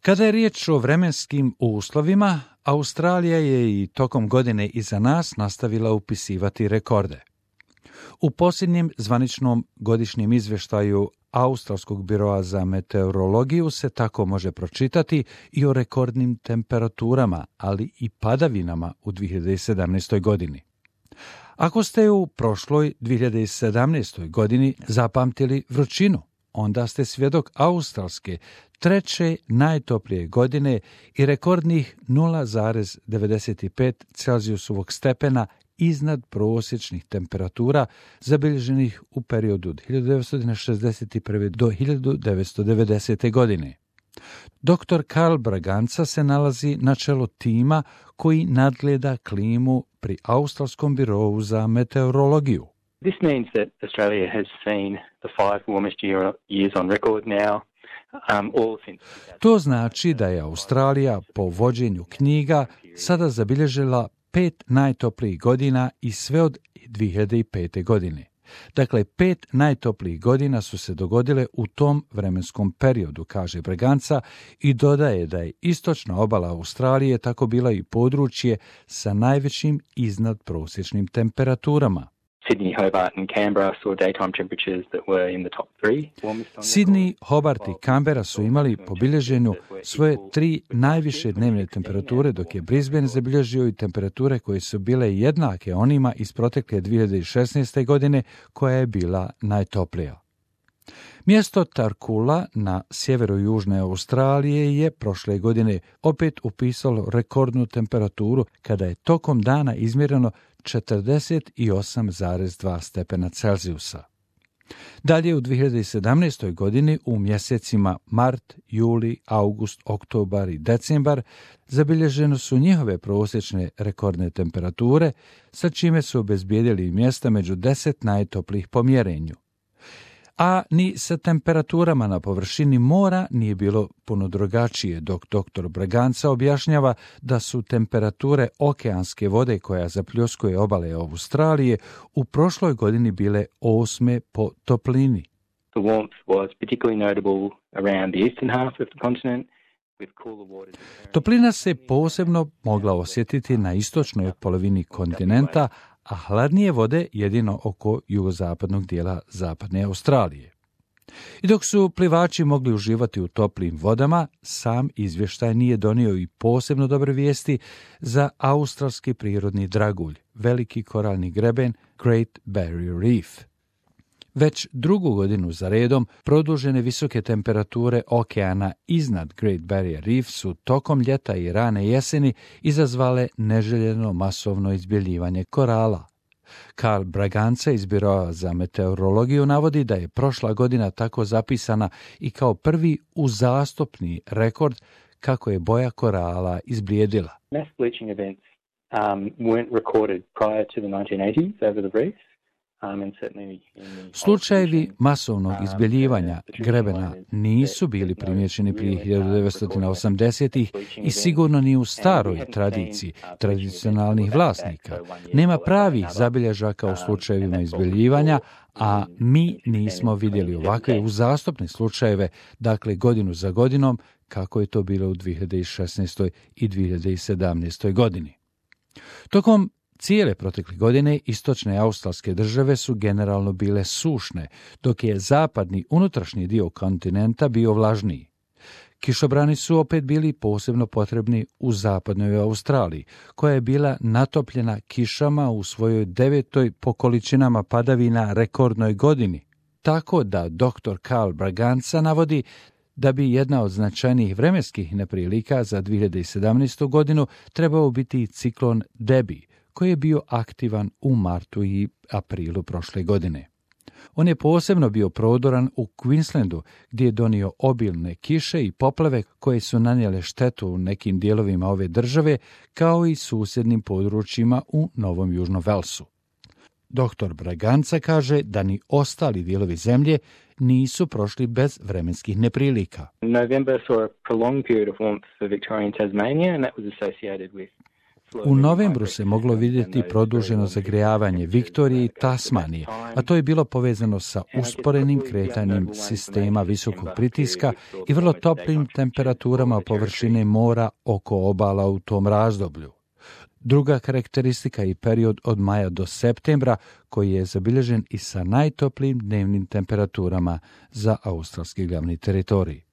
Kada je riječ o vremenskim uslovima, Australija je i tokom godine iza nas nastavila upisivati rekorde. U posljednjem zvaničnom godišnjem izvještaju Australskog biroa za meteorologiju se tako može pročitati i o rekordnim temperaturama, ali i padavinama u 2017. godini. Ako ste u prošloj 2017. godini zapamtili vrućinu, onda ste svjedok australske treće najtoplije godine i rekordnih 0,95 Celzijusovog stepena iznad prosječnih temperatura zabilježenih u periodu od 1961. do 1990. godine. Dr. Karl Braganca se nalazi na čelu tima koji nadgleda klimu pri Australskom birovu za meteorologiju. This means that Australia has seen the 5 warmest years on record now. To znači da je Australija po vođenju knjiga sada zabilježila 5 najtoplijih godina i sve od 2005. godine. Dakle, 5 najtoplijih godina su se dogodile u tom vremenskom periodu, kaže Braganca, i dodaje da je istočna obala Australije tako bila i područje sa najvećim iznadprosječnim temperaturama. Sydney, Hobart and Canberra saw daytime temperatures that were in the top 3 warmest on Sydney, Hobart i Canberra su imali po bilježenju svoje 3 najviše dnevne temperature, dok je Brisbane zabilježio i temperature koje su bile jednake onima iz protekle 2016. godine, koja je bila najtoplija. Mjesto Tarcoola na sjeveru južne Australije je prošle godine opet upisalo rekordnu temperaturu kada je tokom dana izmjereno 48,2 stepena Celzijusa. Dalje u 2017. godini u mjesecima mart, juli, august, oktobar i decembar zabilježeno su njihove prosječne rekordne temperature, sa čime su obezbijedili mjesta među 10 najtoplijih po mjerenju. A ni sa temperaturama na površini mora nije bilo puno drugačije, dok dr. Braganca objašnjava da su temperature okeanske vode koja zapljuskuje obale Australije u prošloj godini bile 8. po toplini. The warmth was particularly notable around the eastern half of the continent. Toplina se posebno mogla osjetiti na istočnoj polovini kontinenta, a hladnije vode jedino oko jugozapadnog dijela zapadne Australije. I dok su plivači mogli uživati u toplim vodama, sam izvještaj nije donio i posebno dobre vijesti za australski prirodni dragulj, veliki koralni greben Great Barrier Reef. Već drugu godinu za redom produžene visoke temperature okeana iznad Great Barrier Reef su tokom ljeta i rane jeseni izazvale neželjeno masovno izbjeljivanje korala. Karl Braganca iz Biroa za meteorologiju navodi da je prošla godina tako zapisana i kao prvi uzastopni rekord kako je boja korala izblijedila. Mass bleaching events weren't recorded prior to the 1980s over the reef. Slučajevi masovnog izbjeljivanja grebena nisu bili primjećeni prije 1980-ih i sigurno ni u staroj tradiciji tradicionalnih vlasnika. Nema pravih zabilježaka u slučajevima izbjeljivanja, a mi nismo vidjeli ovakve uzastopne slučajeve, dakle godinu za godinom, kako je to bilo u 2016. i 2017. godini. Tokom cijele protekle godine istočne australske države su generalno bile sušne, dok je zapadni unutrašnji dio kontinenta bio vlažniji. Kišobrani su opet bili posebno potrebni u zapadnoj Australiji, koja je bila natopljena kišama u svojoj 9. po količinama padavina rekordnoj godini, tako da dr. Karl Braganca navodi da bi jedna od značajnijih vremenskih neprilika za 2017. godinu trebao biti ciklon Debbie, koji je bio aktivan u martu i aprilu prošle godine. On je posebno bio prodoran u Queenslandu, gdje je donio obilne kiše i poplave koje su nanijele štetu u nekim dijelovima ove države, kao i susjednim područjima u Novom Južnom Velsu. Dr. Braganca kaže da ni ostali dijelovi zemlje nisu prošli bez vremenskih neprilika. November saw a prolonged period of warmth for Victoria and Tasmania, and that was associated with U novembru se moglo vidjeti produženo zagrijavanje Viktorije i Tasmanije, a to je bilo povezano sa usporenim kretanjem sistema visokog pritiska i vrlo toplim temperaturama površine mora oko obala u tom razdoblju. Druga karakteristika je period od maja do septembra, koji je zabilježen i sa najtoplijim dnevnim temperaturama za australski glavni teritorij.